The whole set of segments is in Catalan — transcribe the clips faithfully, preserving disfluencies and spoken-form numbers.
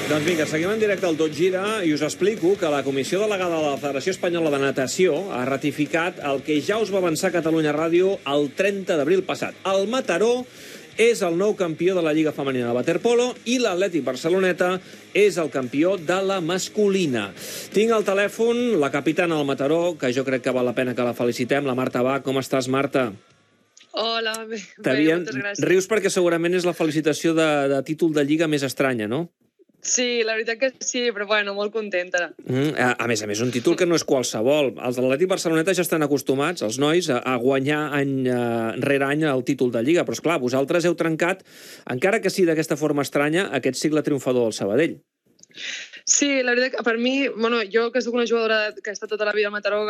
Doncs vinga, seguim en directe al Tot Gira i us explico que la Comissió Delegada de la Federació Espanyola de Natació ha ratificat el que ja us va avançar Catalunya Ràdio el trenta d'abril passat. El Mataró és el nou campió de la Lliga Femenina de Waterpolo i l'Atlètic Barceloneta és el campió de la masculina. Tinc al telèfon la capitana del Mataró, que jo crec que val la pena que la felicitem, la Marta Bach. Com estàs, Marta? Hola, bé, bé moltes gràcies. Rius perquè segurament és la felicitació de, de títol de Lliga més estranya, no? Sí, la veritat que sí, però bueno, molt contenta. Mm, a, a més a més, un títol que no és qualsevol. Els de l'Atlètic Barceloneta ja estan acostumats, els nois, a, a guanyar any uh, rere any el títol de Lliga, però esclar, vosaltres heu trencat, encara que sí d'aquesta forma estranya, aquest cicle triomfador del Sabadell. Sí, la veritat que per mi, bueno, jo que soc una jugadora que ha estat tota la vida a Mataró,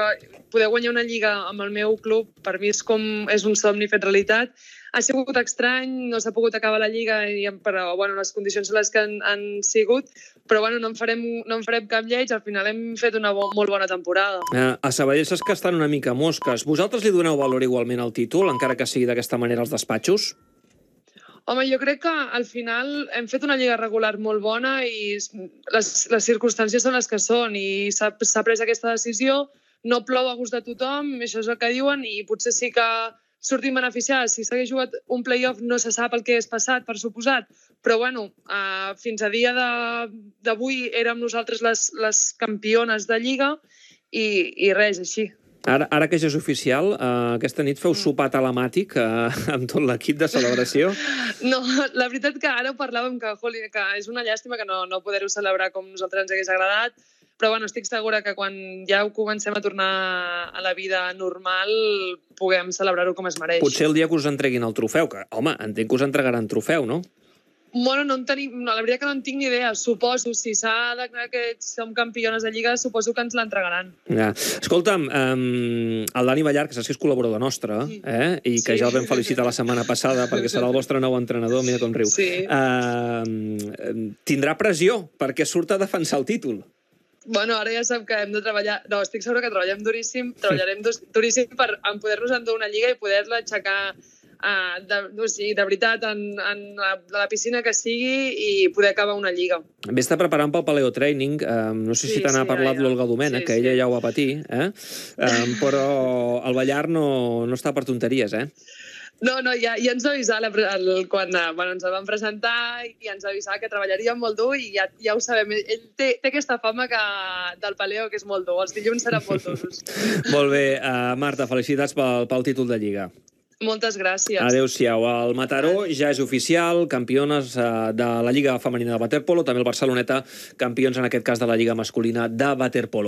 poder guanyar una Lliga amb el meu club, per mi és com és un somni fet realitat. Ha sigut estrany, no s'ha pogut acabar la Lliga, però bueno, les condicions són les que han, han sigut, però bueno, no en, farem, no en farem cap lleig, al final hem fet una bo, molt bona temporada. Eh, a Sabadell saps que estan una mica mosques. Vosaltres li doneu valor igualment al títol, encara que sigui d'aquesta manera als despatxos? Home, jo crec que al final hem fet una lliga regular molt bona i les, les circumstàncies són les que són i s'ha pres aquesta decisió, no plou a gust de tothom, això és el que diuen, i potser sí que sortim beneficiats. Si s'hagués jugat un play-off no se sap el que és passat, per suposat, però bueno, uh, fins a dia d'avui érem nosaltres les, les campiones de Lliga i, i res, així. Ara, ara que ja és oficial, uh, aquesta nit feu sopar telemàtic uh, amb tot l'equip de celebració? No, la veritat que ara ho parlàvem, que, joli, que és una llàstima que no, no poder-ho celebrar com nosaltres ens hagués agradat, però bueno, estic segura que quan ja ho comencem a tornar a la vida normal puguem celebrar-ho com es mereix. Potser el dia que us entreguin el trofeu, que, home, entenc que us entregaran trofeu, no? Bueno, no en tenim, no, la veritat que no en tinc ni idea. Suposo, si s'ha declarat que som campiones de Lliga, suposo que ens l'entregaran. Ja. Escolta'm, um, el Dani Ballar, que saps que és col·laborador nostre, eh? I que sí. Ja el vam felicitar la setmana passada perquè serà el vostre nou entrenador, mira com riu. Sí. Uh, tindrà pressió perquè surt a defensar el títol. Bueno, ara ja sap que hem de treballar... No, estic segura que treballem duríssim, treballarem duríssim per poder-nos endur una Lliga i poder-la aixecar Uh, de, no, sí, de veritat en, en la, la piscina que sigui i poder acabar una Lliga. Vés-te preparant pel paleotraining, uh, no sé sí, si te n'ha sí, parlat ja, ja. l'Olga Domènech, sí, que ella sí. ja ho va patir, eh? uh, però el Ballar no, no està per tonteries, eh? No, no, ja, ja ens va avisar el, el, quan bueno, ens el van presentar i ens va avisar que treballaríem molt dur i ja, ja ho sabem. Ell té, té aquesta fama que, del paleo que és molt dur. Els dilluns seran molt durs. Molt bé, uh, Marta, felicitats pel, pel títol de Lliga. Moltes gràcies. Adéu-siau. El Mataró ja és oficial, campiones de la Lliga Femenina de Waterpolo, també el Barceloneta, campions en aquest cas de la Lliga Masculina de Waterpolo.